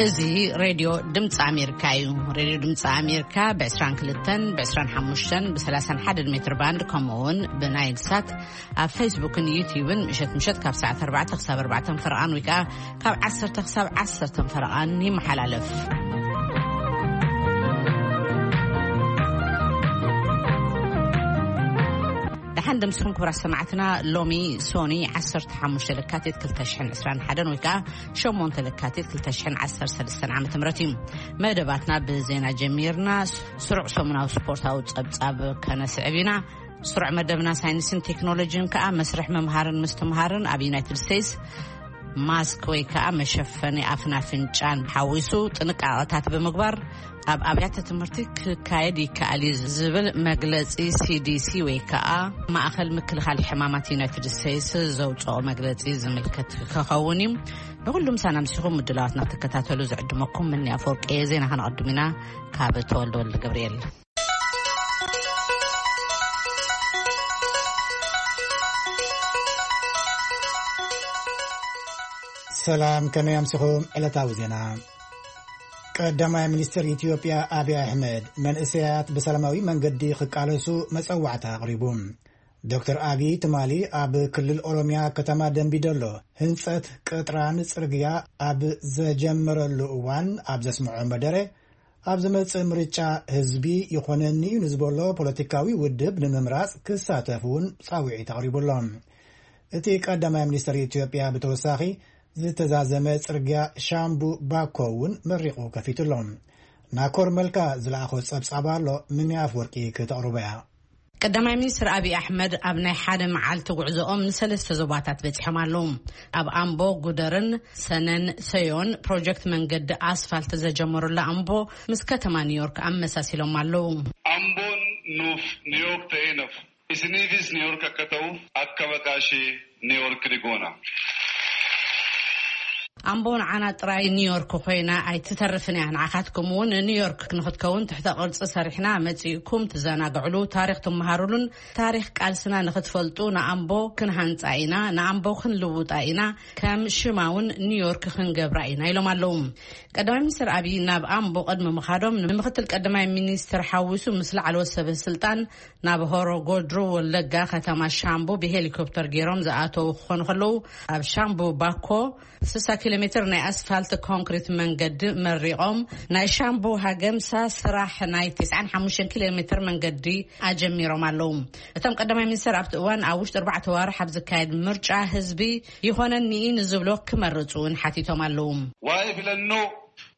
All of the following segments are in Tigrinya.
እዚ ሬድዮ ድምፂ ኣሜሪካ እዩ። ሬድዮ ድምፂ ኣሜሪካ ብ22፣ ብ25፣ ብ31 ሜትር ባንድ፣ ከምኡ እውን ብናይል ሳት ኣብ ፌስቡክን ዩቲዩብን ምሸት ምሸት ካብ ሰዓት ኣርባዕተ ክሳብ ኣርባዕተ ፈረቓን ወይ ከዓ ካብ ዓሰርተ ክሳብ ዓሰርተ ፈረቓን ይመሓላለፍ። ደሓን ደምስኹም ክቡራት ሰማዕትና። ሎሚ ሶኒ ዓሰርተ ሓሙሽተ ለካቲት ክልተ ሽሕን ዕስራን ሓደን ወይ ከዓ ሸሞንተ ለካቲት ክልተ ሽሕን ዓሰርተ ሰለስተን ዓመተ ምህረት እዩ። መደባትና ብዜና ጀሚርና፣ ስሩዕ ሰሙናዊ ስፖርታዊ ጸብጻብ ከነስዕብ ኢና። ስሩዕ መደብና ሳይንስን ቴክኖሎጂን ከዓ መስርሕ ምምሃርን ምስትምሃርን ኣብ ዩናይትድ ስቴትስ፣ ማስክ ወይ ከዓ መሸፈኒ ኣፍን ኣፍንጫን ሓዊሱ ጥንቃቐታት ብምግባር ኣብ ኣብያተ ትምህርቲ ክካየድ ይከኣል እዩ ዝብል መግለፂ ሲዲሲ ወይ ከዓ ማእኸል ምክልኻል ሕማማት ዩናይትድ ስቴትስ ዘውፅኦ መግለፂ ዝምልከት ክኸውን እዩ። ንኩሉ ምሳና ምሲኹም ምድላዋትና ክትከታተሉ ዝዕድመኩም ምኒ ኣፈወርቂ እየ። ዜና ከነቐድም ኢና ካብ ተወልደ ወልደ ገብርኤል። ሰላም፣ ከመይ ኣምሲኹም? ዕለታዊ ዜና። ቀዳማይ ሚኒስትር ኢትዮጵያ ኣብይ ኣሕመድ መንእሰያት ብሰላማዊ መንገዲ ክቃለሱ መጸዋዕታ ኣቕሪቡ። ዶክተር ኣብይ ትማሊ ኣብ ክልል ኦሮሚያ ከተማ ደንቢዶሎ ህንጸት ቅጥራን ጽርግያ ኣብ ዘጀመረሉ እዋን ኣብ ዘስምዖ መደረ፣ ኣብ ዝመጽእ ምርጫ ህዝቢ ይኾነኒ እዩ ንዝበሎ ፖለቲካዊ ውድብ ንምምራጽ ክሳተፍ እውን ጻውዒት ኣቕሪቡሎም። እቲ ቀዳማይ ሚኒስትር ኢትዮጵያ ብተወሳኺ ዝተዛዘመ ጽርግያ ሻምቡ ባኮ እውን መሪቑ ከፊቱሎም። ናኮር መልካ ዝለኣኾ ጸብጻብ ኣሎ፣ ምኒ ኣፍወርቂ ክተቕርቦ እያ። ቀዳማይ ሚኒስትር ኣብይ ኣሕመድ ኣብ ናይ ሓደ መዓልቲ ጉዕዞኦም ንሰለስተ ዞባታት በጺሖም ኣለዉ። ኣብ ኣምቦ፣ ጉደርን ሰነን ሰዮን ፕሮጀክት መንገዲ ኣስፋልት ዘጀመሩላ ኣምቦ ምስ ከተማ ኒውዮርክ ኣመሳሲሎም ኣለዉ። Ambon nuuf New York ta'ee nafu. Isiniifis New York akka ta'uuf akka maqaa ishee New York ni goona. ኣምቦ ንዓና ጥራይ ኒውዮርክ ኮይና ኣይትተርፍን እያ። ንዓኻትኩም እውን ኒውዮርክ ንክትከውን ትሕተ ቅርፂ ሰሪሕና፣ መፂእኩም ትዘናግዕሉ፣ ታሪክ ትመሃሩሉን ታሪክ ቃልስና ንክትፈልጡ ንኣምቦ ክንሃንፃ ኢና፣ ንኣምቦ ክንልውጣ ኢና፣ ከም ሽማ እውን ኒውዮርክ ክንገብራ ኢና ኢሎም ኣለዉ። ቀዳማይ ሚኒስትር ኣብይ ናብ ኣምቦ ቅድሚ ምኻዶም ንምክትል ቀዳማይ ሚኒስትር ሓዊሱ ምስ ላዕለዎት ሰበ ስልጣን ናብ ሆሮ ጎድሩ ወለጋ ከተማ ሻምቡ ብሄሊኮፕተር ገይሮም ዝኣተዉ ክኾኑ ከለዉ፣ ኣብ ሻምቡ ባኮ ስሳ ኪሎ ሜትር ናይ ኣስፋልት ኮንክሪት መንገዲ መሪቖም፣ ናይ ሻምቡ ሃገምሳ ስራሕ ናይ ተስዓን ሓሙሽተን ኪሎ ሜትር መንገዲ ኣጀሚሮም ኣለዉ። እቶም ቀዳማይ ሚኒስትር ኣብቲ እዋን ኣብ ውሽጢ ኣርባዕተ ዋርሕ ኣብ ዝካየድ ምርጫ ህዝቢ ይኾነኒ እዩ ንዝብሎ ክመርጹ እውን ሓቲቶም ኣለዉ። Waa'ee filannoo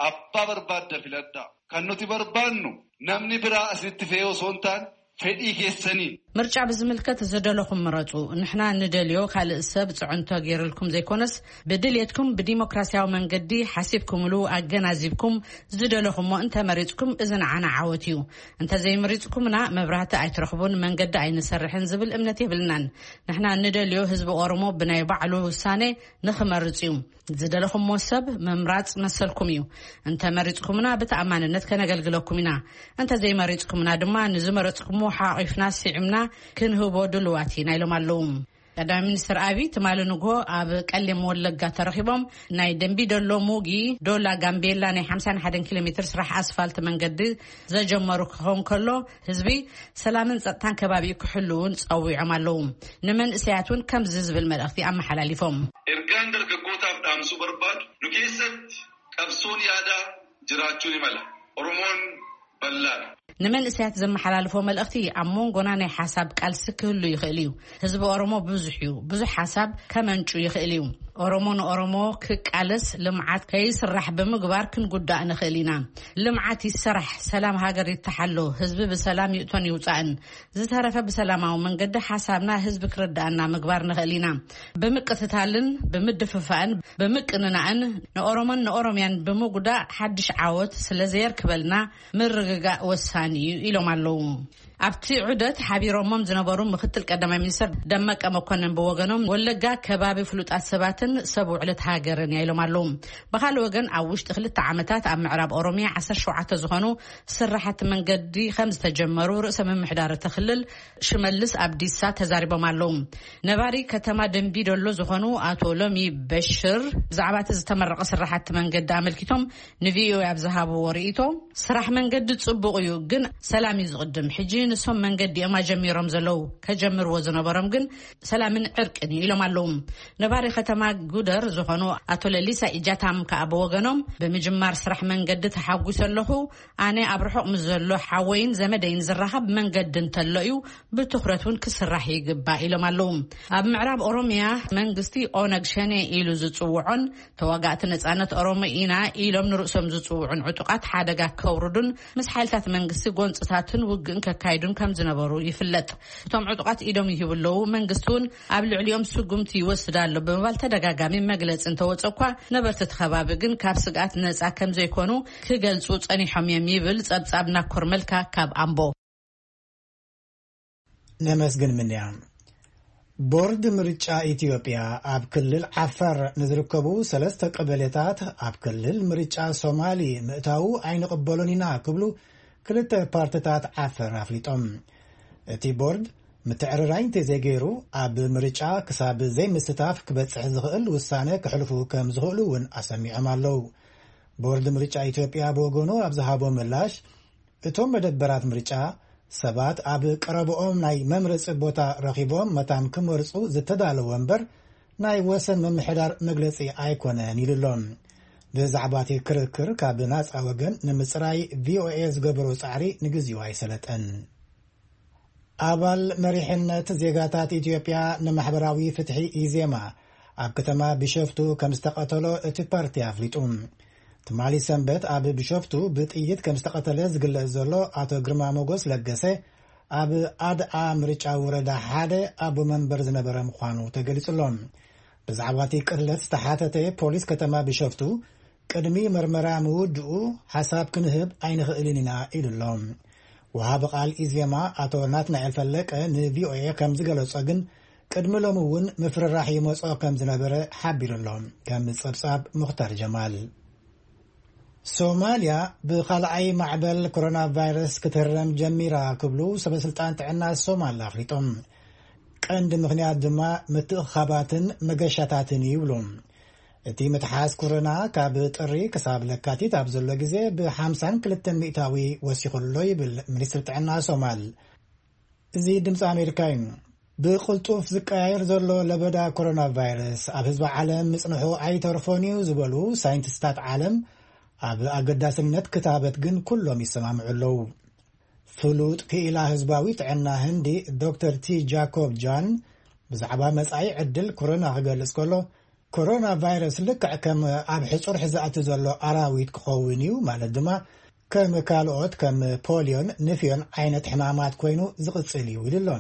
abbaa barbaadda filadhaa. Kan nuti barbaannu namni biraa asitti fe'ee osoo hin taane fedhii keessanii. ምርጫ ብዝምልከት ዝደለኹም ምረጹ። ንሕና ንደልዮ ካልእ ሰብ ጽዕንቶ ገይርልኩም ዘይኮነስ፣ ብድልየትኩም ብዲሞክራሲያዊ መንገዲ ሓሲብኩምሉ ኣገናዚብኩም ዝደለኹሞ እንተመሪጽኩም፣ እዚ ንዓና ዓወት እዩ። እንተዘይመሪጽኩምና፣ መብራህቲ ኣይትረኽቡን፣ መንገዲ ኣይንሰርሕን ዝብል እምነት የብልናን። ንሕና ንደልዮ ህዝቢ ኦሮሞ ብናይ ባዕሉ ውሳኔ ንኽመርጽ እዩ። ዝደለኹሞ ሰብ ምምራጽ መሰልኩም እዩ። እንተ መሪጽኩምና ብተኣማንነት ከነገልግለኩም ኢና። እንተ ዘይመሪጽኩምና ድማ ንዝመረጽኩሞ ሓቒፍና ስዒምና ክንህቦ ድሉዋት ኢና ኢሎም ኣለዉ። ቀዳማይ ሚኒስትር ኣብይ ትማሊ ንግሆ ኣብ ቀሌም ወለጋ ተረኺቦም ናይ ደንቢ ዶሎ ሙጊ ዶላ ጋምቤላ ናይ ሓምሳን ሓደን ኪሎ ሜትር ስራሕ ኣስፋልት መንገዲ ዘጀመሩ ክኸውን ከሎ፣ ህዝቢ ሰላምን ጸጥታን ከባቢኡ ክሕሉ እውን ጸዊዖም ኣለዉ። ንመንእሰያት እውን ከምዚ ዝብል መልእኽቲ ኣመሓላሊፎም። Ergaan dargaggootaaf dhaamsuu barbaadu, nu keessatti qabsoon yaadaa jiraachuu ni mala. Oromoon bal'aadha. ንመንእሰያት ዘመሓላልፎ መልእኽቲ፣ ኣብ መንጎና ናይ ሓሳብ ቃልሲ ክህሉ ይኽእል እዩ። ህዝቢ ኦሮሞ ብዙሕ እዩ። ብዙሕ ሓሳብ ከመንጩ ይኽእል እዩ። ኦሮሞ ንኦሮሞ ክቃለስ፣ ልምዓት ከይስራሕ ብምግባር ክንጉዳእ ንኽእል ኢና። ልምዓት ይሰራሕ፣ ሰላም ሃገር ይተሓሎ፣ ህዝቢ ብሰላም ይእቶን ይውፃእን። ዝተረፈ ብሰላማዊ መንገዲ ሓሳብና ህዝቢ ክርዳእና ምግባር ንኽእል ኢና። ብምቅትታልን ብምድፍፋእን ብምቅንናእን ንኦሮሞን ንኦሮምያን ብምጉዳእ ሓድሽ ዓወት ስለ ዘየርክበልና ምርግጋእ ወሳኒ ምፍታን እዩ ኢሎም ኣለዉ። ኣብቲ ዑደት ሓቢሮሞም ዝነበሩ ምክትል ቀዳማይ ሚኒስትር ደመቀ መኮንን ብወገኖም፣ ወለጋ ከባቢ ፍሉጣት ሰባትን ሰብ ውዕለት ሃገርን እያ ኢሎም ኣለዉ። ብኻልእ ወገን፣ ኣብ ውሽጢ ክልተ ዓመታት ኣብ ምዕራብ ኦሮሚያ ዓሰርተ ሸውዓተ ዝኾኑ ስራሓት መንገዲ ከም ዝተጀመሩ ርእሰ ምምሕዳር እቲ ክልል ሽመልስ ኣብዲሳ ተዛሪቦም ኣለዉ። ነባሪ ከተማ ደንቢ ዶሎ ዝኾኑ ኣቶ ሎሚ በሽር ብዛዕባ እቲ ዝተመረቐ ስራሓት መንገዲ ኣመልኪቶም ንቪኦኤ ኣብ ዝሃብዎ ርእይቶ፣ ስራሕ መንገዲ ጽቡቕ እዩ፣ ግን ሰላም እዩ ዝቕድም። ሕጂ ንሶም መንገዲ እዮም ኣጀሚሮም ዘለዉ፣ ከጀምርዎ ዝነበሮም ግን ሰላምን ዕርቅን እዩ ኢሎም ኣለዉ። ነባሪ ከተማ ጉደር ዝኾኑ ኣቶ ለሊሳ ኢጃታም ከኣ ብወገኖም፣ ብምጅማር ስራሕ መንገዲ ተሓጒሰ ኣለኹ። ኣነ ኣብ ርሑቕ ምስ ዘሎ ሓወይን ዘመደይን ዝራኸብ መንገዲ እንተሎ እዩ ብትኹረት እውን ክስራሕ ይግባእ ኢሎም ኣለዉ። ኣብ ምዕራብ ኦሮሚያ መንግስቲ ኦነግ ሸኔ ኢሉ ዝጽውዖን ተዋጋእቲ ነጻነት ኦሮሞ ኢና ኢሎም ንርእሶም ዝጽውዑን ዕጡቓት ሓደጋ ከውርዱን ምስ ሓይልታት መንግስቲ ጎንጽታትን ውግእን ከካይዱን ከም ዝነበሩ ይፍለጥ። እቶም ዕጡቓት ኢዶም ይህቡ ኣለዉ፣ መንግስቲ እውን ኣብ ልዕሊኦም ስጉምቲ ይወስድ ኣሎ ብምባል ተደጋጋሚ መግለጺ እንተወጸ እኳ፣ ነበርቲ እቲ ከባቢ ግን ካብ ስግኣት ነጻ ከም ዘይኮኑ ክገልጹ ጸኒሖም እዮም ይብል ጸብጻብ ናኮር መልካ ካብ ኣምቦ። ነመስግን ምንያ። ቦርድ ምርጫ ኢትዮጵያ ኣብ ክልል ዓፋር ንዝርከቡ ሰለስተ ቀበሌታት ኣብ ክልል ምርጫ ሶማሊ ምእታዉ ኣይንቕበሎን ኢና ክብሉ ክልተ ፓርትታት ዓፋር ኣፍሊጦም። እቲ ቦርድ ምትዕርራይ እንተዘይገይሩ ኣብ ምርጫ ክሳብ ዘይምስታፍ ክበጽሕ ዝኽእል ውሳነ ክሕልፉ ከም ዝኽእሉ እውን ኣሰሚዖም ኣለዉ። ቦርድ ምርጫ ኢትዮጵያ ብወገኑ ኣብ ዝሃቦ ምላሽ፣ እቶም መደበራት ምርጫ ሰባት ኣብ ቀረብኦም ናይ መምረጺ ቦታ ረኺቦም መታን ክመርጹ ዝተዳለወ እምበር ናይ ወሰን ምምሕዳር መግለጺ ኣይኮነን ኢሉ ኣሎ። ብዛዕባ እቲ ክርክር ካብ ናጻ ወገን ንምጽራይ ቪኦኤ ዝገበሮ ጻዕሪ ንግዚኡ ኣይሰለጠን። ኣባል መሪሕነት ዜጋታት ኢትዮጵያ ንማሕበራዊ ፍትሒ ኢዜማ ኣብ ከተማ ቢሸፍቱ ከም ዝተቐተሎ እቲ ፓርቲ ኣፍሊጡ። ትማሊ ሰንበት ኣብ ቢሸፍቱ ብጥይት ከም ዝተቐተለ ዝግለጽ ዘሎ ኣቶ ግርማ ሞጎስ ለገሰ ኣብ ኣድኣ ምርጫ ወረዳ ሓደ ኣቦ መንበር ዝነበረ ምዃኑ ተገሊጹ ኣሎ። ብዛዕባ እቲ ቅትለት ዝተሓተተ ፖሊስ ከተማ ቢሸፍቱ ቅድሚ መርመራ ምውድኡ ሓሳብ ክንህብ ኣይንኽእልን ኢና ኢሉ ኣሎ። ወሃቢ ቃል ኢዜማ ኣቶ ናትናኤል ፈለቀ ንቪኦኤ ከም ዝገለጾ ግን ቅድሚ ሎሚ እውን ምፍርራሕ ይመጾ ከም ዝነበረ ሓቢሩ ኣሎ። ከም ጸብጻብ ሙኽታር ጀማል። ሶማልያ ብኻልኣይ ማዕበል ኮሮና ቫይረስ ክትህረም ጀሚራ ክብሉ ሰበስልጣን ጥዕና ሶማል ኣፍሊጦም። ቀንዲ ምኽንያት ድማ ምትእኻባትን መገሻታትን ይብሉ። እቲ ምትሓዝ ኮሮና ካብ ጥሪ ክሳብ ለካቲት ኣብ ዘሎ ግዜ ብ52 ሚእታዊ ወሲኹ ኣሎ ይብል ሚኒስትሪ ጥዕና ሶማል። እዚ ድምፂ ኣሜሪካ እዩ። ብቕልጡፍ ዝቀያየር ዘሎ ለበዳ ኮሮና ቫይረስ ኣብ ህዝቢ ዓለም ምጽንሑ ኣይተርፎን እዩ ዝበሉ ሳይንቲስታት ዓለም፣ ኣብ ኣገዳስነት ክታበት ግን ኩሎም ይሰማምዑ ኣለዉ። ፍሉጥ ክኢላ ህዝባዊ ጥዕና ህንዲ ዶክተር ቲ ጃኮብ ጃን ብዛዕባ መጻኢ ዕድል ኮሮና ክገልጽ ከሎ፣ ኮሮና ቫይረስ ልክዕ ከም ኣብ ሕጹር ዝኣቲ ዘሎ ኣራዊት ክኸውን እዩ፣ ማለት ድማ ከም ካልኦት ከም ፖሊዮን ንፍዮን ዓይነት ሕማማት ኮይኑ ዝቕጽል እዩ ኢሉ ኣሎ።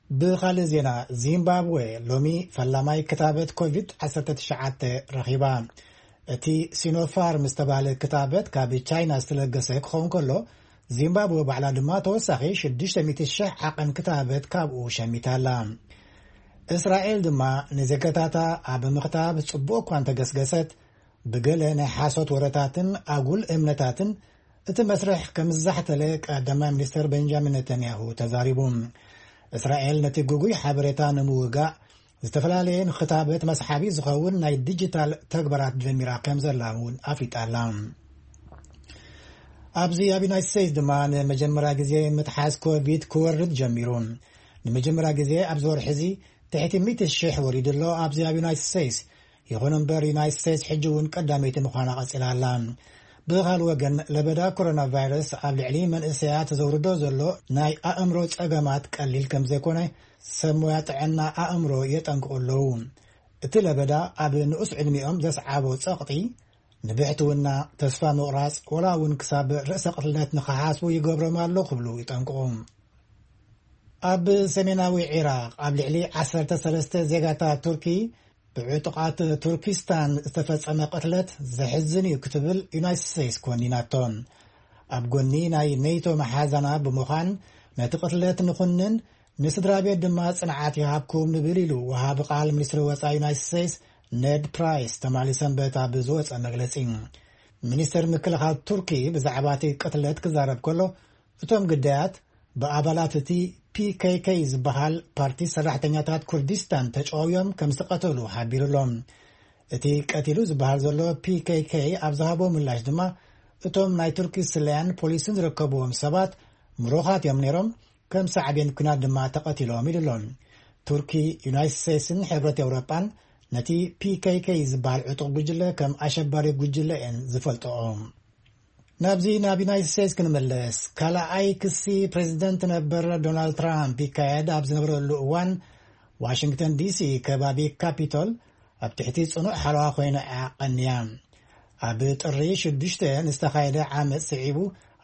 ብኻልእ ዜና፣ ዚምባብዌ ሎሚ ፈላማይ ክታበት ኮቪድ ዓሰርተ ትሽዓተ ረኺባ። እቲ ሲኖፋርም ዝተባህለ ክታበት ካብ ቻይና ዝተለገሰ ክኸውን ከሎ፣ ዚምባብወ ባዕላ ድማ ተወሳኺ ሽዱሽተ ሚእቲ ሽሕ ዓቐን ክታበት ካብኡ ሸሚታ ኣላ። እስራኤል ድማ ንዜጋታታ ኣብ ምኽታብ ጽቡቕ እኳ እንተገስገሰት፣ ብገለ ናይ ሓሶት ወረታትን ኣጉል እምነታትን እቲ መስርሕ ከም ዝዛሕተለ ቀዳማይ ሚኒስተር ቤንጃሚን ነተንያሁ ተዛሪቡ። እስራኤል ነቲ ግጉይ ሓበሬታ ንምውጋእ ዝተፈላለየ ንክታበት መስሓቢ ዝኸውን ናይ ዲጂታል ተግባራት ጀሚራ ከም ዘላ እውን ኣፍሊጣ ኣላ። ኣብዚ ኣብ ዩናይትድ ስቴትስ ድማ ንመጀመርያ ግዜ ምትሓዝ ኮቪድ ክወርድ ጀሚሩ። ንመጀመርያ ግዜ ኣብዚ ወርሒ እዚ ትሕቲ ሚእቲ ሽሕ ወሪዱ ኣሎ ኣብዚ ኣብ ዩናይትድ ስቴትስ። ይኹን እምበር ዩናይትድ ስቴትስ ሕጂ እውን ቀዳመይቲ ምዃና ቀጺላ ኣላ። ብኻል ወገን ለበዳ ኮሮና ቫይረስ ኣብ ልዕሊ መንእሰያት ዘውርዶ ዘሎ ናይ ኣእምሮ ጸገማት ቀሊል ከም ዘይኮነ ሰብ ሞያ ጥዕና ኣእምሮ የጠንቅቑ ኣለዉ። እቲ ለበዳ ኣብ ንኡስ ዕድሚኦም ዘስዓቦ ጸቕጢ፣ ንብሕትውና፣ ተስፋ ምቑራጽ፣ ወላ እውን ክሳብ ርእሰ ቅትለት ንኽሓስቡ ይገብሮም ኣሎ ክብሉ ይጠንቅቑ። ኣብ ሰሜናዊ ዒራቕ ኣብ ልዕሊ ዓሰርተ ሰለስተ ዜጋታት ቱርኪ ብዕጡቓት ቱርኪስታን ዝተፈጸመ ቅትለት ዘሕዝን እዩ ክትብል ዩናይትድ ስቴትስ ኮኒናቶ። ኣብ ጎኒ ናይ ኔቶ መሓዛና ብምዃን ነቲ ቅትለት ንኹንን፣ ንስድራ ቤት ድማ ጽንዓት ይሃብኩም ንብል ኢሉ ወሃቢ ቃል ሚኒስትሪ ወጻኢ ዩናይትድ ስቴትስ ኔድ ፕራይስ ትማሊ ሰንበት ኣብ ዝወጸ መግለጺ። ሚኒስተር ምክልኻል ቱርኪ ብዛዕባ እቲ ቅትለት ክዛረብ ከሎ፣ እቶም ግዳያት ብኣባላት እቲ ፒ ኬ ኬ ዝበሃል ፓርቲ ሰራሕተኛታት ኩርዲስታን ተጨዋውዮም ከም ዝተቐተሉ ሓቢሩ ኣሎ። እቲ ቀቲሉ ዝበሃል ዘሎ ፒ ኬ ኬ ኣብ ዝሃቦ ምላሽ ድማ፣ እቶም ናይ ቱርኪ ስለያን ፖሊስን ዝርከብዎም ሰባት ምሩኻት እዮም ነይሮም፣ ከም ሳዕቤን ኲናት ድማ ተቐቲሎም ኢሉ ኣሎ። ቱርኪ፣ ዩናይትድ ስቴትስን ሕብረት ኤውሮጳን ነቲ ፒ ኬ ኬ ዝበሃል ዕጡቕ ጉጅለ ከም ኣሸባሪ ጉጅለ እየን ዝፈልጥኦ። ናብዚ ናብ ዩናይትድ ስቴትስ ክንምለስ፣ ካልኣይ ክሲ ፕሬዚደንት ነበር ዶናልድ ትራምፕ ይካየድ ኣብ ዝነበረሉ እዋን፣ ዋሽንግተን ዲ ሲ ከባቢ ካፒቶል ኣብ ትሕቲ ጽኑዕ ሓለዋ ኮይና እያ ቀንያ። ኣብ ጥሪ ሽዱሽተ ንዝተኻየደ ዓመጽ ስዒቡ፣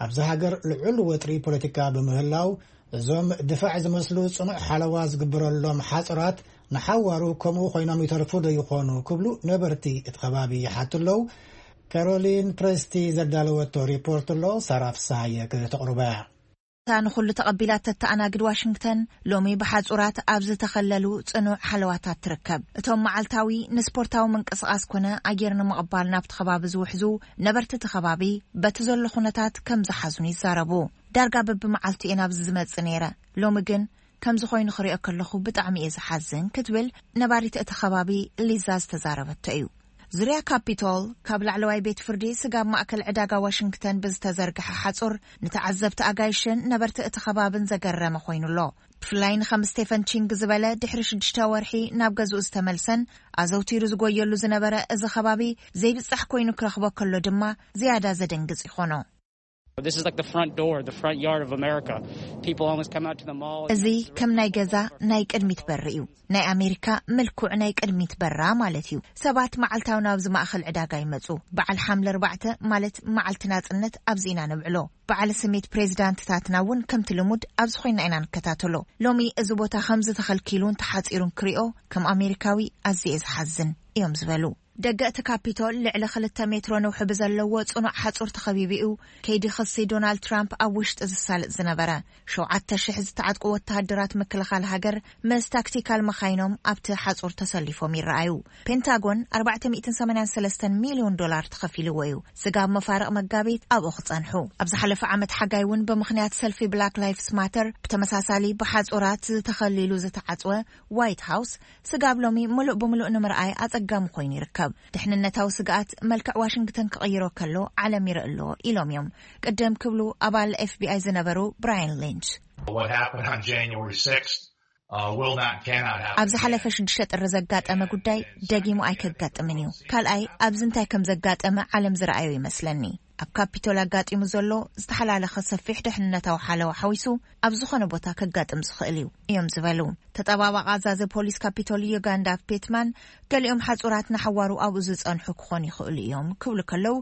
ኣብዚ ሃገር ልዑል ወጥሪ ፖለቲካ ብምህላው፣ እዞም ድፋዕ ዝመስሉ ጽኑዕ ሓለዋ ዝግበረሎም ሓጹራት ንሓዋሩ ከምኡ ኮይኖም ይተርፉ ዶ ይኾኑ ክብሉ ነበርቲ እቲ ከባቢ ይሓቱ ኣለዉ። ካሮሊን ፕረስቲ ዘዳለወቶ ሪፖርት ኣሎ፣ ሳራ ፍስሃየ ከተቕርቦ እያ። እታ ንኹሉ ተቐቢላ ተተኣናግድ ዋሽንግተን፣ ሎሚ ብሓጹራት ኣብ ዝተኸለሉ ጽኑዕ ሓለዋታት ትርከብ። እቶም መዓልታዊ ንስፖርታዊ ምንቅስቓስ ኮነ ኣየር ንምቕባል ናብቲ ከባቢ ዝውሕዙ ነበርቲ እቲ ከባቢ፣ በቲ ዘሎ ኩነታት ከም ዝሓዝኑ ይዛረቡ። "ዳርጋ በብመዓልቱ እየ ናብዚ ዝመጽእ ነይረ፣ ሎሚ ግን ከምዚ ኮይኑ ክሪኦ ከለኹ ብጣዕሚ እየ ዝሓዝን" ክትብል ነባሪት እቲ ከባቢ ሊዛ ዝተዛረበቶ እዩ። ዙርያ ካፒቶል፣ ካብ ላዕለዋይ ቤት ፍርዲ ስጋብ ማእከል ዕዳጋ ዋሽንግተን ብዝተዘርግሐ ሓጹር፣ ንተዓዘብቲ ኣጋይሽን ነበርቲ እቲ ከባብን ዘገረመ ኮይኑ ኣሎ። ብፍላይ ንከም ስቴፈን ቺንግ ዝበለ ድሕሪ ሽዱሽተ ወርሒ ናብ ገዝኡ ዝተመልሰን ኣዘውቲሩ ዝጎየሉ ዝነበረ እዚ ከባቢ ዘይብጻሕ ኮይኑ ክረኽቦ ከሎ ድማ ዝያዳ ዘደንግጽ ይኾኖ። This is like the front door, the front yard of America. People always come out to the mall. እዚ ከም ናይ ገዛ ናይ ቅድሚት በሪ እዩ። ናይ ኣሜሪካ ምልኩዕ ናይ ቅድሚት በራ ማለት እዩ። ሰባት መዓልታዊ ናብዚ ማእኸል ዕዳጋ ይመጹ። በዓል ሓምለ ኣርባዕተ ማለት መዓልቲ ናጽነት ኣብዚ ኢና ነብዕሎ። በዓል ስሜት ፕሬዚዳንትታትና እውን ከምቲ ልሙድ ኣብዚ ኮይና ኢና ንከታተሎ። ሎሚ እዚ ቦታ ከምዚ ተኸልኪሉን ተሓጺሩን ክሪኦ ከም ኣሜሪካዊ ኣዝየ ዝሓዝን እዮም ዝበሉ። ደገ እቲ ካፒቶል ልዕሊ ክልተ ሜትሮ ነውሒ ብዘለዎ ጽኑዕ ሓጹር ተኸቢቡ እዩ። ከይዲ ክሲ ዶናልድ ትራምፕ ኣብ ውሽጢ ዝሳለጥ ዝነበረ። ሸውዓተ ሽሕ ዝተዓጥቁ ወተሃደራት ምክልኻል ሃገር ምስ ታክቲካል መኻይኖም ኣብቲ ሓጹር ተሰሊፎም ይረኣዩ። ፔንታጎን ኣርባዕተ ሚእትን ሰማንያን ሰለስተን ሚልዮን ዶላር ተኸፊልዎ እዩ። ስጋብ መፋርቕ መጋቢት ኣብኡ ክጸንሑ። ኣብ ዝሓለፈ ዓመት ሓጋይ እውን ብምኽንያት ሰልፊ ብላክ ላይፍስ ማተር ብተመሳሳሊ ብሓጹራት ዝተኸሊሉ ዝተዓጽወ ዋይት ሃውስ ስጋብ ሎሚ ምሉእ ብምሉእ ንምርኣይ ኣጸጋሚ ኮይኑ ይርከብ። ድሕንነታዊ ስግኣት መልክዕ ዋሽንግተን ክቕይሮ ከሎ ዓለም ይርኢ ኣሎ ኢሎም እዮም ቅድም ክብሉ ኣባል ኤፍ ቢ ኣይ ዝነበሩ ብራያን ሊንች። What happened on January sixth, uh, will not, cannot happen ኣብ ዝሓለፈ ሽዱሽተ ጥሪ ዘጋጠመ ጉዳይ ደጊሙ ኣይከጋጥምን እዩ። ካልኣይ፣ ኣብዚ እንታይ ከም ዘጋጠመ ዓለም ዝረኣዮ ይመስለኒ። ኣብ ካፒቶል ኣጋጢሙ ዘሎ ዝተሓላለኸ ሰፊሕ ድሕንነታዊ ሓለዋ ሓዊሱ ኣብ ዝኾነ ቦታ ከጋጥም ዝኽእል እዩ እዮም ዝበሉ። ተጠባባቂ ኣዛዚ ፖሊስ ካፒቶል ዩጋንዳ ፔትማን፣ ገሊኦም ሓጹራት ንሓዋሩ ኣብኡ ዝጸንሑ ክኾኑ ይኽእሉ እዮም ክብሉ ከለዉ፣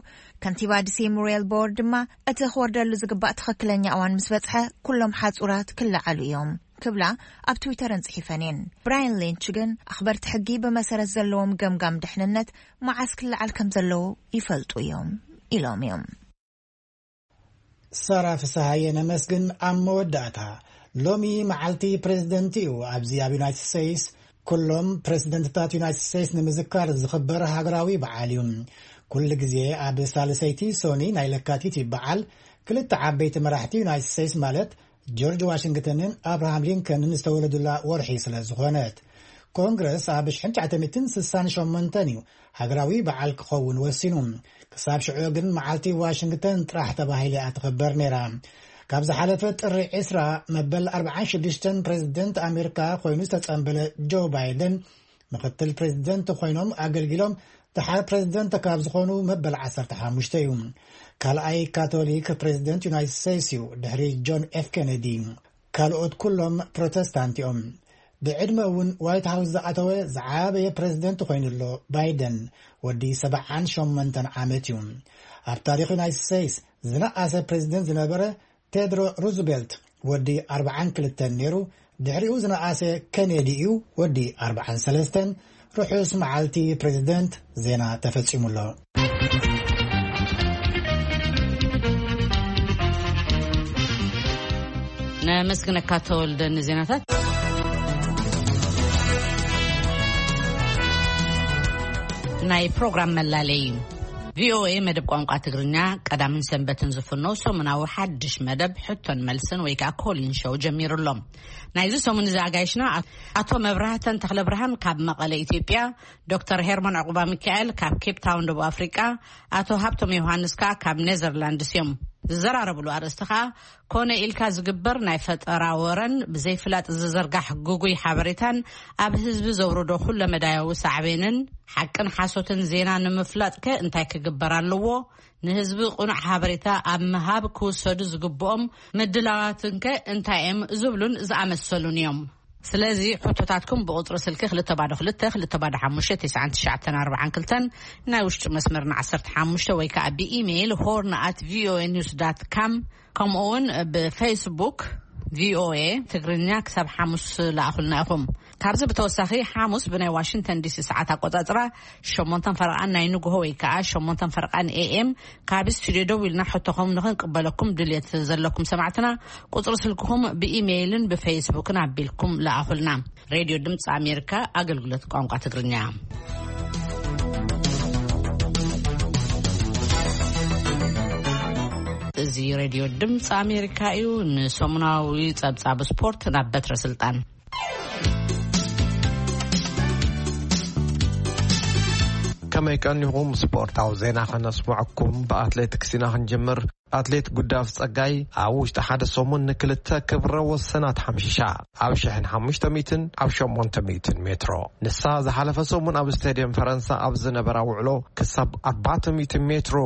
ከንቲባ ዲሲ ሙሪየል ቦር ድማ እቲ ክወርደሉ ዝግባእ ትኽክለኛ እዋን ምስ በጽሐ ኩሎም ሓጹራት ክለዓሉ እዮም ክብላ ኣብ ትዊተረን ጽሒፈን እየን። ብራያን ሊንች ግን ኣኽበርቲ ሕጊ ብመሰረት ዘለዎም ገምጋም ድሕንነት መዓስ ክለዓል ከም ዘለዎ ይፈልጡ እዮም ኢሎም እዮም። ሳራ ፍስሃየ ነመስግን። ኣብ መወዳእታ፣ ሎሚ መዓልቲ ፕሬዚደንት እዩ። ኣብዚ ኣብ ዩናይትድ ስቴትስ ኩሎም ፕሬዚደንትታት ዩናይትድ ስቴትስ ንምዝካር ዝኽበር ሃገራዊ በዓል እዩ። ኩሉ ግዜ ኣብ ሳልሰይቲ ሶኒ ናይ ለካቲት በዓል ክልተ ዓበይቲ መራሕቲ ዩናይትድ ስቴትስ ማለት ጆርጅ ዋሽንግተንን ኣብርሃም ሊንከንን ዝተወለዱላ ወርሒ ስለ ዝኾነት። ኮንግረስ ኣብ ሽሕን ትሽዓተ ሚእትን ስሳን ሸሞንተን እዩ ሃገራዊ በዓል ክኸውን ወሲኑ። ክሳብ ሽዑ ግን መዓልቲ ዋሽንግተን ጥራሕ ተባሂላ እያ ትኽበር ነይራ። ካብ ዝሓለፈ ጥሪ ዕስራ መበል ኣርባዓን ሽዱሽተን ፕሬዚደንት ኣሜሪካ ኮይኑ ዝተጸንበለ ጆ ባይደን ምኽትል ፕሬዚደንት ኮይኖም ኣገልጊሎም። ደሓር ፕሬዚደንት ካብ ዝኾኑ መበል ዓሰርተ ሓሙሽተ እዩ። ካልኣይ ካቶሊክ ፕሬዚደንት ዩናይትድ ስቴትስ እዩ፣ ድሕሪ ጆን ኤፍ ኬነዲ። ካልኦት ኩሎም ፕሮቴስታንት እዮም። ብዕድመ እውን ዋይት ሃውስ ዝኣተወ ዝዓበየ ፕሬዚደንት ኮይኑ ኣሎ ባይደን፣ ወዲ ሰብዓን ሸሞንተን ዓመት እዩ። ኣብ ታሪኽ ዩናይትድ ስቴትስ ዝነኣሰ ፕሬዚደንት ዝነበረ ቴድሮ ሩዝቬልት ወዲ ኣርባዓን ክልተን ነይሩ። ድሕሪኡ ዝነኣሰ ኬኔዲ እዩ፣ ወዲ ኣርባዓን ሰለስተን። ርሑስ መዓልቲ ፕሬዚደንት። ዜና ተፈጺሙ ኣሎ። ኣመስግነካ ተወልደ ንዜናታት። ናይ ፕሮግራም መላለይ እዩ። ቪኦኤ መደብ ቋንቋ ትግርኛ ቀዳምን ሰንበትን ዝፍኖ ሰሙናዊ ሓድሽ መደብ ሕቶን መልስን ወይ ከዓ ኮሊን ሾው ጀሚሩ ኣሎ። ናይዚ ሰሙን እዚ ኣጋይሽና ኣቶ መብራህተን ተኽለ ብርሃን ካብ መቐለ ኢትዮጵያ፣ ዶክተር ሄርሞን ዕቑባ ሚካኤል ካብ ኬፕ ታውን ደቡብ ኣፍሪቃ፣ ኣቶ ሃብቶም ዮሃንስ ከዓ ካብ ኔዘርላንድስ እዮም። ዝዘራረብሉ ኣርእስቲ ከዓ ኮነ ኢልካ ዝግበር ናይ ፈጠራ ወረን ብዘይፍላጥ ዝዝርጋሕ ግጉይ ሓበሬታን ኣብ ህዝቢ ዘውርዶ ኩለመዳያዊ ሳዕቤንን ሓቅን ሓሶትን ዜና ንምፍላጥከ እንታይ ክግበር ኣለዎ? ንህዝቢ ቅኑዕ ሓበሬታ ኣብ ምሃብ ክውሰዱ ዝግብኦም ምድላዋትንከ እንታይ እዮም? ዝብሉን ዝኣመሰሉን እዮም። ስለዚ ሕቶታትኩም ብቁጽሪ ስልኪ ክልተ ባዶ ክልተ ክልተ ባዶ ሓሙሽተ ትሽዓን ትሽዓተን ኣርባዓን ክልተን፣ ናይ ውሽጢ መስመርና ዓሰርተ ሓሙሽተ ወይ ከዓ ብኢሜይል ሆርን ኣት ቪኦኤ ኒውስ ዳት ካም፣ ከምኡ እውን ብፌስቡክ ቪኦኤ ትግርኛ ክሳብ ሓሙስ ለኣኹልና ኢኹም። ካብዚ ብተወሳኺ ሓሙስ ብናይ ዋሽንግተን ዲሲ ሰዓት ኣቆጻጽራ ሸሞንተን ፈረቓን ናይ ንግሆ ወይ ከዓ ሸሞንተን ፈረቓን ኤኤም ካብ ስቱዲዮ ደው ኢልና ሕቶኹም ንኽንቅበለኩም ድልየት ዘለኩም ሰማዕትና ቁጽሪ ስልክኹም ብኢሜይልን ብፌስቡክን ኣቢልኩም ለኣኹልና። ሬድዮ ድምፂ ኣሜሪካ ኣገልግሎት ቋንቋ ትግርኛ። እዚ ሬድዮ ድምፂ ኣሜሪካ እዩ። ንሰሙናዊ ጸብጻብ ስፖርት ናብ በትረ ስልጣን። ከመይ ቀኒኹም? ስፖርታዊ ዜና ከነስምዐኩም። ብኣትሌቲክስ ኢና ክንጅምር። ኣትሌት ጉዳፍ ጸጋይ ኣብ ውሽጢ ሓደ ሰሙን ንክልተ ክብረ ወሰናት ሓምሺሻ። ኣብ ሽሕን ሓሙሽተ ሚእትን ኣብ ሸሞንተ ሚእትን ሜትሮ። ንሳ ዝሓለፈ ሰሙን ኣብ ስቴድየም ፈረንሳ ኣብ ዝነበራ ውዕሎ ክሳብ ኣርባዕተ ሚእቲ ሜትሮ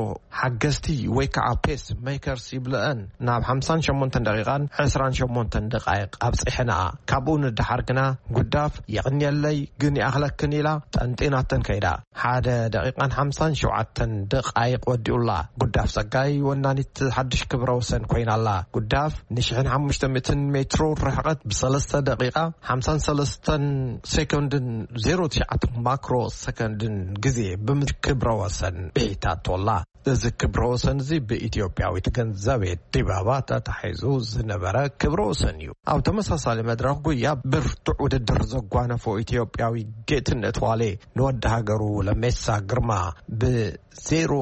ሓገዝቲ ወይ ከዓ ፔስ ሜከርስ ይብለአን ናብ ሓምሳን ሸሞንተን ደቂቓን ዕስራን ሸሞንተን ደቃይቕ ኣብፂሐንኣ። ካብኡ ንደሓር ግና ጉዳፍ የቕንየለይ ግን ይኣኽለክን ኢላ ጠንጢናተን ከይዳ። ሓደ ደቂቓን ሓምሳን ሸውዓተን ደቃይቕ ወዲኡላ። ጉዳፍ ጸጋይ ወናኒት ሓድሽ ክብረ ወሰን ኮይናላ። ጉዳፍ ንሽሕን ሓሙሽተ ሚእትን ሜትሮ ርሕቐት ብሰለስተ ደቂቓ ሓምሳን ሰለስተን ሴኮንድን ዜሮ ትሽዓተ ማክሮ ሰከንድን ግዜ ብምክብረ ወሰን ብሒታቶላ። እዚ ክብረ ወሰን እዚ ብኢትዮጵያዊት ገንዘቤ ዲባባ ተታሒዙ ዝነበረ ክብረ ወሰን እዩ። ኣብ ተመሳሳሊ መድረኽ ጉያ ብርቱዕ ውድድር ዘጓነፎ ኢትዮጵያዊ ጌትነት ዋሌ ንወዲ ሃገሩ ለሜሳ ግርማ ብዜሮ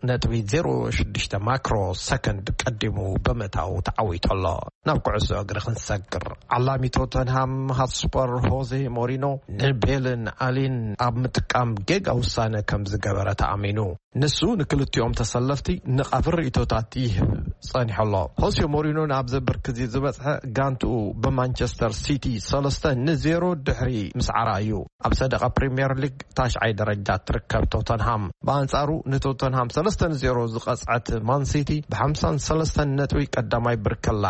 ነጥቢ ዜሮ ሽዱሽተ ማክሮ ሰከንድ ቀዲሙ ብምእታው ተዓዊቱ ኣሎ። ናብ ኩዕሶ እግሪ ክንሰግር፣ ዓላሚ ቶተንሃም ሃትስፐር ሆዜ ሞሪኖ ንቤልን ኣሊን ኣብ ምጥቃም ጌጋ ውሳነ ከም ዝገበረ ተኣሚኑ። ንሱ ንክልቲኦም ተሰለፍቲ ንቓፍር ርእይቶታት ይህብ ጸኒሑ ኣሎ። ሆዜ ሞሪኖ ናብ ዘብር ክዚ ዝበጽሐ ጋንትኡ ብማንቸስተር ሲቲ ሰለስተ ንዜሮ ድሕሪ ምስዓራ እዩ። ኣብ ሰደቓ ፕሪምየር ሊግ ታሽዓይ ደረጃ ትርከብ ቶተንሃም። ብኣንጻሩ ንቶተንሃም ሰለስተ ንዜሮ ዝቐጽዐት ማን ሲቲ ብሓምሳን ሰለስተን ነጥቢ ቀዳማይ ብርክ ኣላ።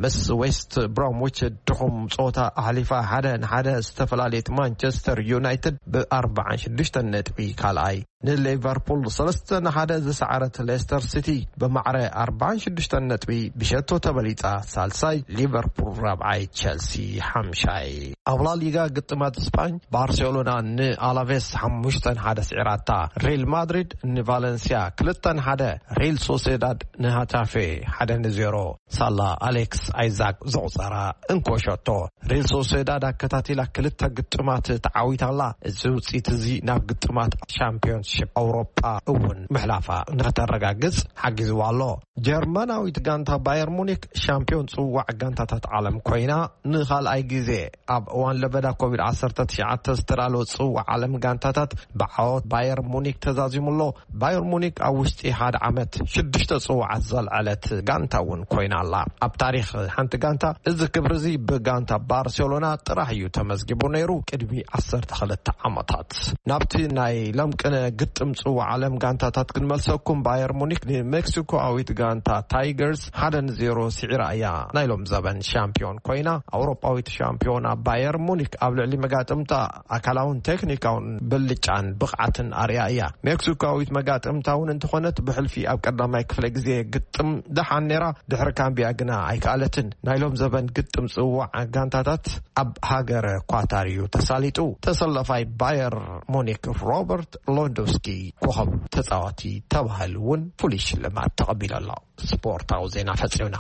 ምስ ዌስት ብሮምዊች ድኹም ጸወታ ኣሕሊፋ ሓደ ንሓደ ዝተፈላለየት ማንቸስተር ዩናይትድ ብኣርባዓን ሽዱሽተን ነጥቢ ካልኣይ። ንሊቨርፑል ሰለስተ ንሓደ ዝሰዓረት ሌስተር ሲቲ ብማዕረ ኣርባዓን ሽዱሽተን ነጥቢ ብሸቶ ተበሊጻ ሳልሳይ፣ ሊቨርፑል ራብዓይ፣ ቸልሲ ሓምሻይ። ኣብ ላሊጋ ግጥማት ስፓኝ ባርሴሎና ንኣላቬስ ሓሙሽተ ንሓደ ስዒራታ። ሪል ማድሪድ ንቫለንሲያ ክልተ ንሓደ፣ ሪል ሶሴዳድ ንሃታፌ ሓደ ንዜሮ። ሳላ ኣሌክስ ኣይዛክ ዘቑጸራ እንኮ ሸቶ። ሪል ሶሴዳድ ኣከታቲላ ክልተ ግጥማት ተዓዊታላ። እዚ ውጽኢት እዚ ናብ ግጥማት ሻምፒዮንሺፕ ኣውሮጳ እውን ምሕላፋ ንክተረጋግጽ ሓጊዝዋ ኣሎ። ጀርመናዊት ጋንታ ባየር ሙኒክ ሻምፒዮን ጽዋዕ ጋንታታት ዓለም ኮይና ንኻልኣይ ግዜ ኣብ እዋን ለበዳ ኮቪድ ዓሰርተ ትሽዓተ ዝተዳለወ ጽዋዕ ዓለም ጋንታታት ብዓወት ባየር ሙኒክ ተዛዚሙ ኣሎ። ባየር ሙኒክ ኣብ ውሽጢ ሓደ ዓመት ሽዱሽተ ጽዋዓት ዘልዐለት ጋንታ እውን ኮይና ኣላ። ኣብ ታሪኽ ሓንቲ ጋንታ እዚ ክብሪ እዚ ብጋንታ ባርሴሎና ጥራሕ እዩ ተመዝጊቡ ነይሩ ቅድሚ ዓሰርተ ክልተ ዓመታት። ናብቲ ናይ ለምቅነ ግጥም ጽዋዕ ዓለም ጋንታታት ክንመልሰኩም፣ ባየር ሙኒክ ንሜክሲኮኣዊት ጋንታ ታይገርስ ሓደ ንዜሮ ስዒራ እያ ናይ ሎም ዘበን ሻምፒዮን ኮይና። ኣውሮጳዊት ሻምፒዮና ባየር ሙኒክ ኣብ ልዕሊ መጋጥምታ ኣካላውን ቴክኒካውን ብልጫን ብቕዓትን ኣርያ እያ። ሜክሲኮዊት መጋጥምታ እውን እንተኾነት ብሕልፊ ኣብ ቀዳማይ ክፍለ ግዜ ግጥም ደሓን ነይራ፣ ድሕሪ ካምቢያ ግና ኣይከኣለትን። ናይ ሎም ዘበን ግጥም ጽዋዕ ጋንታታት ኣብ ሃገረ ኳታር እዩ ተሳሊጡ። ተሰለፋይ ባየር ሙኒክ ሮበርት ሎንዶስኪ ኮኸብ ተጻዋቲ ተባሂሉ እውን ፍሉይ ሽልማት ተቐቢሉ ኣሎ። ስፖርታዊ ዜና ፈጺምና።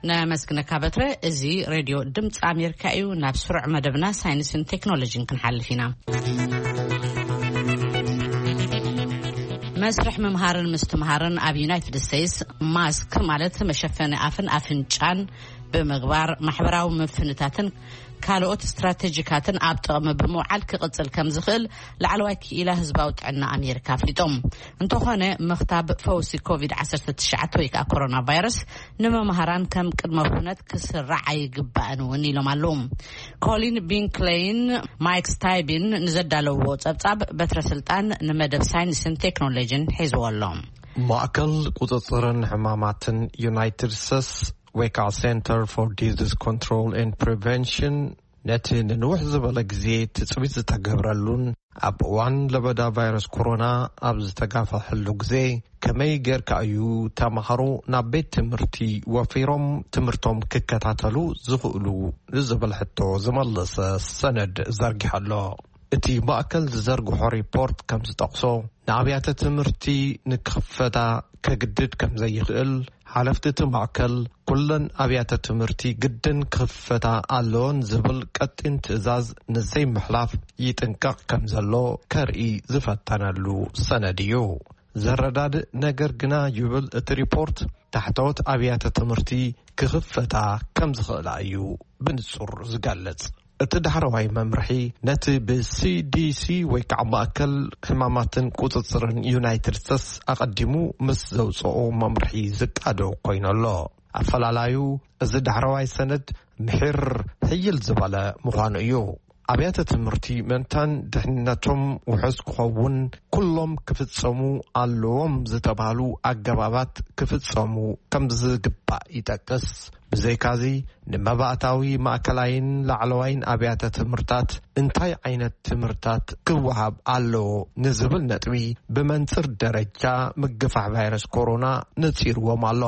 ነመስግነካ በትረ። እዚ ሬድዮ ድምፂ ኣሜሪካ እዩ። ናብ ስሩዕ መደብና ሳይንስን ቴክኖሎጂን ክንሓልፍ ኢና። መስርሕ ምምሃርን ምስትምሃርን ኣብ ዩናይትድ ስቴትስ፣ ማስክ ማለት መሸፈኒ ኣፍን ኣፍንጫን ብምግባር፣ ማሕበራዊ ምፍንታትን ካልኦት ስትራቴጂካትን ኣብ ጥቕሚ ብምውዓል ክቕጽል ከም ዝኽእል ላዕለዋይ ክኢላ ህዝባዊ ጥዕና ኣሜሪካ ኣፍሊጦም። እንተኾነ፣ ምኽታብ ፈውሲ ኮቪድ ዓሰርተ ትሽዓተ ወይ ከዓ ኮሮና ቫይረስ ንመምሃራን ከም ቅድመ ኩነት ክስራዕ ኣይግባእን እውን ኢሎም ኣለዉ። ኮሊን ቢንክሌይን ማይክ ስታይቢን ንዘዳለውዎ ጸብጻብ፣ በትረ ስልጣን ንመደብ ሳይንስን ቴክኖሎጂን ሒዝዎ ኣሎ። ማእከል ቁጽጽርን ሕማማትን ዩናይትድ ስቴትስ፣ ወይ ከዓ Center for Disease Control and Prevention፣ ነቲ ንንውሕ ዝበለ ግዜ ትጽቢት ዝተገብረሉን ኣብ እዋን ለበዳ ቫይረስ ኮሮና ኣብ ዝተጋፈሐሉ ግዜ፣ ከመይ ጌርካ እዩ ተማሃሮ ናብ ቤት ትምህርቲ ወፊሮም ትምህርቶም ክከታተሉ ዝኽእሉ ንዝብል ሕቶ ዝመለሰ ሰነድ ዘርጊሑ ኣሎ። እቲ ማእከል ዝዘርግሖ ሪፖርት ከም ዝጠቕሶ፣ ንኣብያተ ትምህርቲ ንክኽፈታ ከግድድ ከም ዘይኽእል፣ ሓለፍቲ እቲ ማእከል፣ ኩለን ኣብያተ ትምህርቲ ግድን ክኽፈታ ኣለዎን ዝብል ቀጢን ትእዛዝ ንዘይምሕላፍ ይጥንቀቕ ከም ዘሎ ከርኢ ዝፈተነሉ ሰነድ እዩ። ዘረዳድእ ነገር ግና፣ ይብል እቲ ሪፖርት፣ ታሕተዎት ኣብያተ ትምህርቲ ክኽፈታ ከም ዝኽእላ እዩ ብንጹር ዝገልጽ። እቲ ዳሕረዋይ መምርሒ፣ ነቲ ብ C D C ወይ ከዓ ማእከል ሕማማትን ቁጽጽርን ዩናይትድ ስቴትስ ኣቐዲሙ ምስ ዘውጽኦ መምርሒ ዝቃዶ ኮይኑ ኣሎ። ኣፈላላዩ፣ እዚ ዳሕረዋይ ሰነድ ምሒር ሕይል ዝበለ ምዃኑ እዩ። ኣብያተ ትምህርቲ ምእንታን ድሕንነቶም ውሑስ ክኸውን፣ ኩሎም ክፍጸሙ ኣለዎም ዝተባህሉ ኣገባባት ክፍጸሙ ከም ዝግባእ ይጠቅስ። ብዘይካዚ፣ ንመባእታዊ ማእከላይን ላዕለዋይን ኣብያተ ትምህርታት እንታይ ዓይነት ትምህርታት ክወሃብ ኣለዎ ንዝብል ነጥቢ ብመንጽር ደረጃ ምግፋሕ ቫይረስ ኮሮና ነጺርዎም ኣሎ።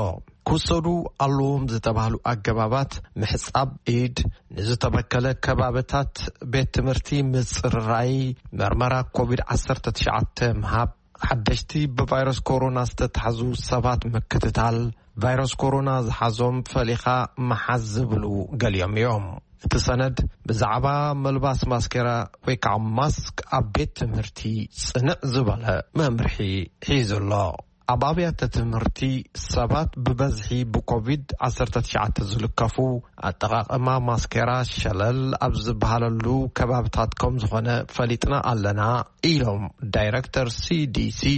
ክውሰዱ ኣለዎም ዝተባህሉ ኣገባባት፣ ምሕጻብ ኢድ፣ ንዝተበከለ ከባብታት ቤት ትምህርቲ ምጽርራይ፣ መርመራ ኮቪድ ዓሰርተ ትሽዓተ ምሃብ፣ ሓደሽቲ ብቫይረስ ኮሮና ዝተታሕዙ ሰባት ምክትታል፣ ቫይረስ ኮሮና ዝሓዞም ፈሊኻ ምሓዝ ዝብሉ ገሊኦም እዮም። እቲ ሰነድ ብዛዕባ መልባስ ማስኬራ ወይ ከዓ ማስክ ኣብ ቤት ትምህርቲ ጽንዕ ዝበለ መምርሒ ሒዙ ኣሎ። ኣብ ኣብያተ ትምህርቲ ሰባት ብበዝሒ ብኮቪድ ዓሰርተ ትሽዓተ ዝልከፉ፣ ኣጠቓቕማ ማስኬራ ሸለል ኣብ ዝበሃለሉ ከባብታት ከም ዝኾነ ፈሊጥና ኣለና፣ ኢሎም ዳይረክተር C D C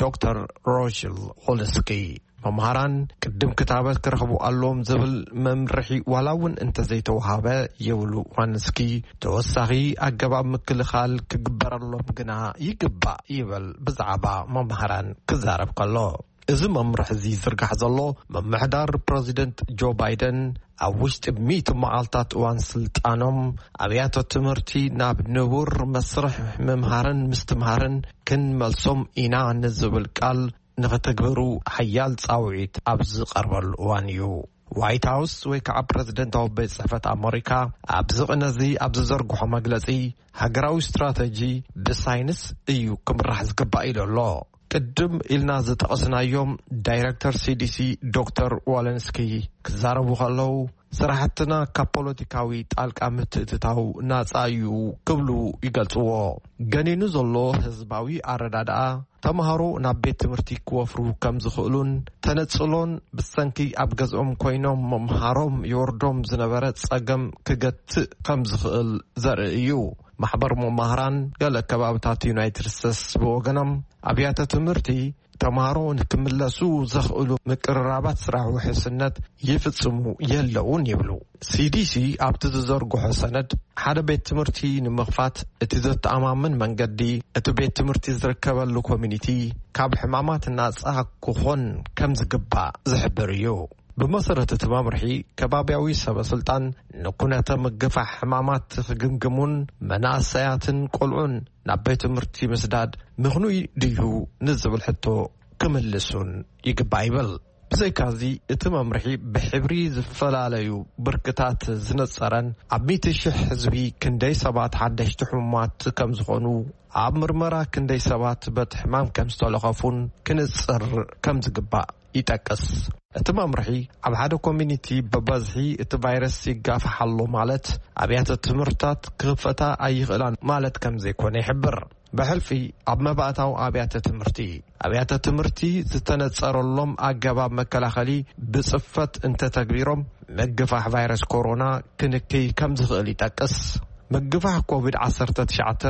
ዶክተር ሮሽል ሆልስኪ። መምሃራን ቅድም ክታበት ክረኽቡ ኣለዎም ዝብል መምርሒ ዋላ እውን እንተዘይተውሃበ፣ ይብሉ ዋንስኪ፣ ተወሳኺ ኣገባብ ምክልኻል ክግበረሎም ግና ይግባእ፣ ይብል ብዛዕባ መምሃራን ክዛረብ ከሎ። እዚ መምርሒ እዚ ዝርጋሕ ዘሎ፣ ምምሕዳር ፕረዚደንት ጆ ባይደን ኣብ ውሽጢ ሚእቲ መዓልታት እዋን ስልጣኖም፣ ኣብያተ ትምህርቲ ናብ ንቡር መስርሕ ምምሃርን ምስትምሃርን ክንመልሶም ኢና ንዝብል ቃል ንኽትግብሩ ሓያል ጻውዒት ኣብ ዝቐርበሉ እዋን እዩ። ዋይት ሃውስ ወይ ከዓ ፕረዚደንታዊ ቤት ጽሕፈት ኣመሪካ ኣብዚ ቅነ እዚ ኣብ ዝዘርግሖ መግለጺ፣ ሃገራዊ ስትራተጂ ብሳይንስ እዩ ክምራሕ ዝግባእ ኢሉ ኣሎ። ቅድም ኢልና ዝጠቐስናዮም ዳይረክተር C D C ዶክተር ዋለንስኪ ክዛረቡ ከለዉ፣ ስራሕትና ካብ ፖለቲካዊ ጣልቃ ምትእትታው ናጻ እዩ ክብሉ ይገልጽዎ። ገኒኑ ዘሎ ህዝባዊ ኣረዳድኣ፣ ተምሃሮ ናብ ቤት ትምህርቲ ክወፍሩ ከም ዝኽእሉን ተነጽሎን ብሰንኪ ኣብ ገዝኦም ኮይኖም ምምሃሮም ይወርዶም ዝነበረ ጸገም ክገትእ ከም ዝኽእል ዘርኢ እዩ። ማሕበር መማህራን ገለ ከባብታት ዩናይትድ ስቴትስ ብወገኖም፣ ኣብያተ ትምህርቲ ተምሃሮ ንክምለሱ ዘኽእሉ ምቅርራባት ስራሕ ውሕስነት ይፍጽሙ የለውን ይብሉ። C D C ኣብቲ ዝዘርግሖ ሰነድ፣ ሓደ ቤት ትምህርቲ ንምኽፋት እቲ ዘተኣማምን መንገዲ፣ እቲ ቤት ትምህርቲ ዝርከበሉ ኮሚኒቲ ካብ ሕማማት ናጻ ክኾን ከም ዝግባእ ዝሕብር እዩ። ብመሰረት እቲ መምርሒ፣ ከባብያዊ ሰበ ስልጣን ንኩነተ ምግፋሕ ሕማማት ክግምግሙን መናእሰያትን ቆልዑን ናብ ቤት ትምህርቲ ምስዳድ ምኽኑይ ድዩ ንዝብል ሕቶ ክምልሱን ይግባእ ይብል። ብዘይካዚ፣ እቲ መምርሒ ብሕብሪ ዝፈላለዩ ብርክታት ዝነጸረን ኣብ ሚእቲ ሽሕ ህዝቢ ክንደይ ሰባት ሓደሽቲ ሕሙማት ከም ዝኾኑ፣ ኣብ ምርመራ ክንደይ ሰባት በቲ ሕማም ከም ዝተለኸፉን ክንጽር ከም ዝግባእ ይጠቅስ። እቲ መምርሒ ኣብ ሓደ ኮሚኒቲ ብበዝሒ እቲ ቫይረስ ይጋፋሕ ኣሎ ማለት ኣብያተ ትምህርታት ክኽፈታ ኣይኽእላን ማለት ከም ዘይኮነ ይሕብር። ብሕልፊ ኣብ መባእታዊ ኣብያተ ትምህርቲ ኣብያተ ትምህርቲ ዝተነጸረሎም ኣገባብ መከላኸሊ ብጽፈት እንተተግቢሮም ምግፋሕ ቫይረስ ኮሮና ክንክይ ከም ዝኽእል ይጠቅስ። ምግፋሕ ኮቪድ ዓሰርተ ትሽዓተ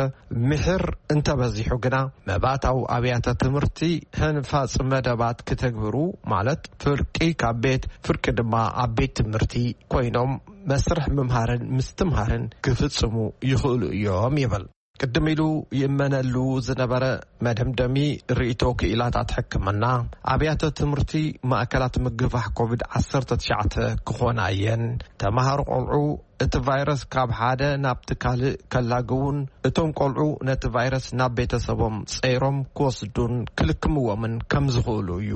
ምሕር እንተበዚሑ ግና መባእታዊ ኣብያተ ትምህርቲ ህንፋጽ መደባት ክተግብሩ ማለት ፍርቂ ካብ ቤት ፍርቂ ድማ ኣብ ቤት ትምህርቲ ኮይኖም መስርሕ ምምሃርን ምስትምሃርን ክፍጽሙ ይኽእሉ እዮም ይብል። ቅድም ኢሉ ይእመነሉ ዝነበረ መደምደሚ ርእይቶ ክኢላታት ሕክምና ኣብያተ ትምህርቲ ማእከላት ምግፋሕ ኮቪድ ዓሰርተ ትሽዓተ ክኾና እየን። ተምሃሮ ቆልዑ እቲ ቫይረስ ካብ ሓደ ናብቲ ካልእ ከላግቡን እቶም ቆልዑ ነቲ ቫይረስ ናብ ቤተሰቦም ጸይሮም ክወስዱን ክልክምዎምን ከም ዝኽእሉ እዩ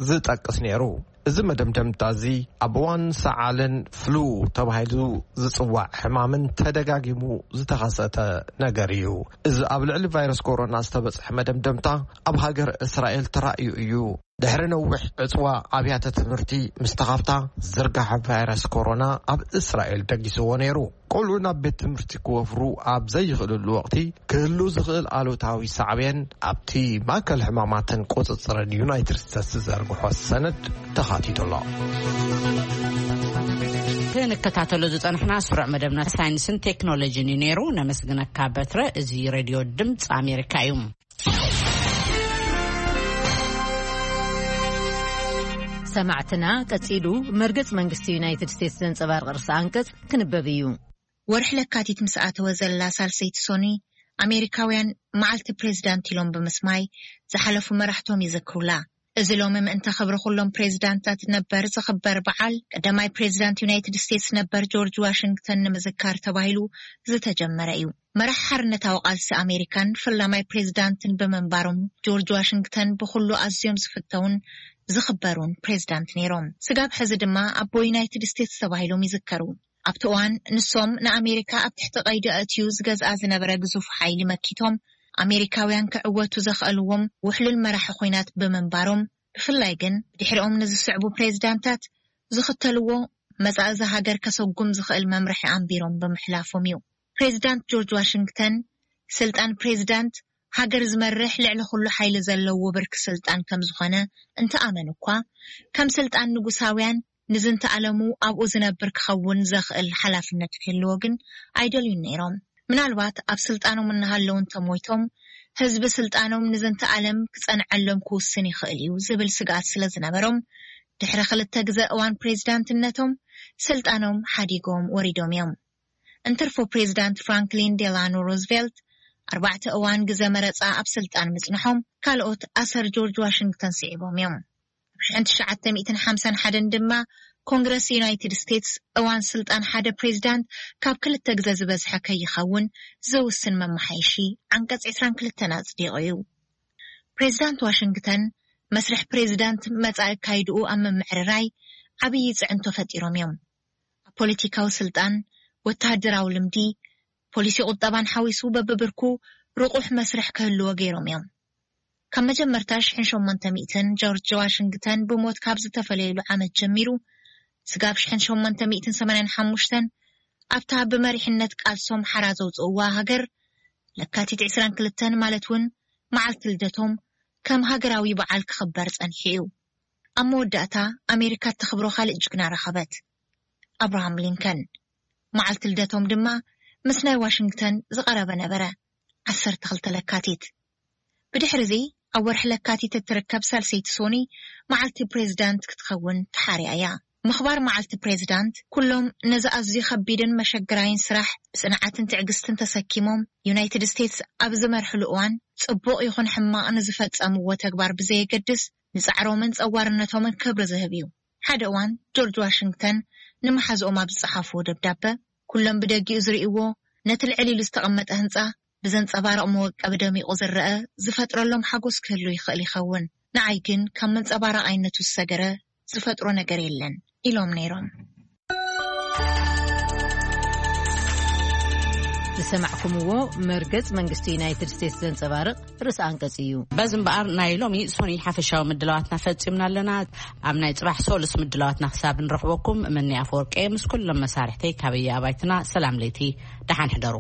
ዝጠቅስ ነይሩ። እዚ መደምደምታ እዚ ኣብ እዋን ሰዓልን ፍሉ ተባሂሉ ዝጽዋዕ ሕማምን ተደጋጊሙ ዝተኸሰተ ነገር እዩ። እዚ ኣብ ልዕሊ ቫይረስ ኮሮና ዝተበጽሐ መደምደምታ ኣብ ሃገር እስራኤል ተራእዩ እዩ። ድሕሪ ነዊሕ ዕጽዋ ኣብያተ ትምህርቲ ምስ ተኸፍታ ዝርጋሐ ቫይረስ ኮሮና ኣብ እስራኤል ደጊስዎ ነይሩ። ቆልዑ ናብ ቤት ትምህርቲ ክወፍሩ ኣብ ዘይኽእልሉ ወቕቲ ክህሉ ዝኽእል ኣሉታዊ ሳዕቤን ኣብቲ ማእከል ሕማማትን ቁጽጽርን ዩናይትድ ስቴትስ ዝዘርግሖ ሰነድ ተኻቲቱ ኣሎ። ክንከታተሎ ዝጸንሕና ስሩዕ መደብና ሳይንስን ቴክኖሎጂን እዩ ነይሩ። ነመስግነካ በትረ። እዚ ሬድዮ ድምፂ ኣሜሪካ እዩ። ሰማዕትና፣ ቀጺሉ መርገጽ መንግስቲ ዩናይትድ ስቴትስ ዘንጸባርቕ ርእሰ ኣንቀጽ ክንበብ እዩ። ወርሒ ለካቲት ምስ ኣተወ ዘላ ሳልሰይቲ ሶኒ፣ ኣሜሪካውያን መዓልቲ ፕሬዚዳንት ኢሎም ብምስማይ ዝሓለፉ መራሕቶም ይዘክሩላ። እዚ ሎሚ ምእንተ ክብሪ ኩሎም ፕሬዚዳንታት ነበር ዝኽበር በዓል፣ ቀዳማይ ፕሬዚዳንት ዩናይትድ ስቴትስ ነበር ጆርጅ ዋሽንግተን ንምዝካር ተባሂሉ ዝተጀመረ እዩ። መራሕ ሓርነታዊ ቃልሲ ኣሜሪካን ፈላማይ ፕሬዚዳንትን ብምንባሮም፣ ጆርጅ ዋሽንግተን ብኹሉ ኣዝዮም ዝፍተውን ዝኽበሩን ፕሬዚዳንት ነይሮም። ስጋብ ሕዚ ድማ ኣቦ ዩናይትድ ስቴትስ ተባሂሎም ይዝከሩ። ኣብቲ እዋን ንሶም ንኣሜሪካ ኣብ ትሕቲ ቀይዲ ኣእትዩ ዝገዝኣ ዝነበረ ግዙፍ ሓይሊ መኪቶም፣ ኣሜሪካውያን ክዕወቱ ዘኽኣልዎም ውሕሉል መራሒ ኹናት ብምንባሮም፣ ብፍላይ ግን ብድሕሪኦም ንዝስዕቡ ፕሬዚዳንታት ዝኽተልዎ መጻኢ እዛ ሃገር ከሰጉም ዝኽእል መምርሒ ኣንቢሮም ብምሕላፎም እዩ። ፕሬዚዳንት ጆርጅ ዋሽንግተን፣ ስልጣን ፕሬዚዳንት ሃገር ዝመርሕ ልዕሊ ኩሉ ሓይሊ ዘለዎ ብርኪ ስልጣን ከም ዝኾነ እንተኣመኑ እኳ፣ ከም ስልጣን ንጉሳውያን ንዝንተ ኣለሙ ኣብኡ ዝነብር ክኸውን ዘኽእል ሓላፍነት ክህልዎ ግን ኣይደልዩን ነይሮም። ምናልባት ኣብ ስልጣኖም እናሃለዉ እንተሞይቶም፣ ህዝቢ ስልጣኖም ንዝንተ ኣለም ክጸንዐሎም ክውስን ይኽእል እዩ ዝብል ስግኣት ስለ ዝነበሮም፣ ድሕሪ ክልተ ግዘ እዋን ፕሬዚዳንትነቶም ስልጣኖም ሓዲጎም ወሪዶም እዮም። እንትርፎ ፕሬዚዳንት ፍራንክሊን ዴላኖ ሩዝቬልት ኣርባዕተ እዋን ግዘ መረጻ ኣብ ስልጣን ምጽንሖም፣ ካልኦት ኣሰር ጆርጅ ዋሽንግተን ስዒቦም እዮም። ኣብ ሽሕን ትሽዓተ ሚእትን ሓምሳን ሓደን ድማ ኮንግረስ ዩናይትድ ስቴትስ እዋን ስልጣን ሓደ ፕሬዚዳንት ካብ ክልተ ግዘ ዝበዝሐ ከይኸውን ዘውስን መመሓየሺ ዓንቀጽ ዕስራን ክልተን ኣጽዲቑ እዩ። ፕሬዚዳንት ዋሽንግተን መስርሕ ፕሬዚዳንት መጻኢ ኣካይድኡ ኣብ ምምዕርራይ ዓብዪ ጽዕንቶ ፈጢሮም እዮም። ኣብ ፖለቲካዊ ስልጣን፣ ወተሃደራዊ ልምዲ፣ ፖሊሲ ቁጠባን ሓዊሱ በብብርኩ ርቑሕ መስርሕ ክህልዎ ገይሮም እዮም። ካብ መጀመርታ ሽሕን ሸሞንተ ሚእትን ጆርጅ ዋሽንግተን ብሞት ካብ ዝተፈለየሉ ዓመት ጀሚሩ፣ ስጋብ ሽሕን ሸሞንተ ሚእትን ሰማንያን ሓሙሽተን ኣብታ ብመሪሕነት ቃልሶም ሓራ ዘውፅእዋ ሃገር ለካቲት ዕስራን ክልተን ማለት እውን መዓልቲ ልደቶም ከም ሃገራዊ በዓል ክኽበር ጸኒሑ እዩ። ኣብ መወዳእታ ኣሜሪካ እተኽብሮ ካልእ ጅግና ረኸበት፣ ኣብርሃም ሊንከን። መዓልቲ ልደቶም ድማ ምስ ናይ ዋሽንግተን ዝቐረበ ነበረ፣ ዓሰርተ ክልተ ለካቲት። ብድሕሪ እዚ ኣብ ወርሒ ለካቲት እትርከብ ሳልሰይቲ ሶኒ መዓልቲ ፕሬዚዳንት ክትኸውን ተሓርያ እያ። ምኽባር መዓልቲ ፕሬዚዳንት ኩሎም ነዚ ኣዝዩ ከቢድን መሸግራይን ስራሕ ብጽንዓትን ትዕግስትን ተሰኪሞም ዩናይትድ ስቴትስ ኣብ ዝመርሕሉ እዋን ጽቡቕ ይኹን ሕማቕ ንዝፈጸምዎ ተግባር ብዘየገድስ ንጻዕሮምን ጸዋርነቶምን ክብሪ ዝህብ እዩ። ሓደ እዋን ጆርጅ ዋሽንግተን ንመሓዝኦም ኣብ ዝጸሓፍዎ ደብዳበ፣ ኩሎም ብደጊኡ ዝርእይዎ ነቲ ልዕል ኢሉ ዝተቐመጠ ህንጻ ብዘንጸባርቕ መወቀቢ ደሚቑ ዝረአ ዝፈጥረሎም ሓጎስ ክህሉ ይኽእል ይኸውን፣ ንዓይ ግን ካብ መንጸባረቓይነቱ ዝሰገረ ዝፈጥሮ ነገር የለን ኢሎም ነይሮም። ዝሰማዕኩምዎ መርገጽ መንግስቲ ዩናይትድ ስቴትስ ዘንጸባርቕ ርእሰ ኣንቀጽ እዩ። በዚ እምበኣር ናይ ሎሚ ሶኒ ሓፈሻዊ ምድላዋትና ፈጺምና ኣለና። ኣብ ናይ ጽባሕ ሶሉስ ምድላዋትና ክሳብ ንረኽበኩም፣ መኒ ኣፈወርቂ ምስ ኩሎም መሳርሕተይ ካበየ ኣባይትና ሰላም ለይቲ፣ ደሓን ሕደሩ።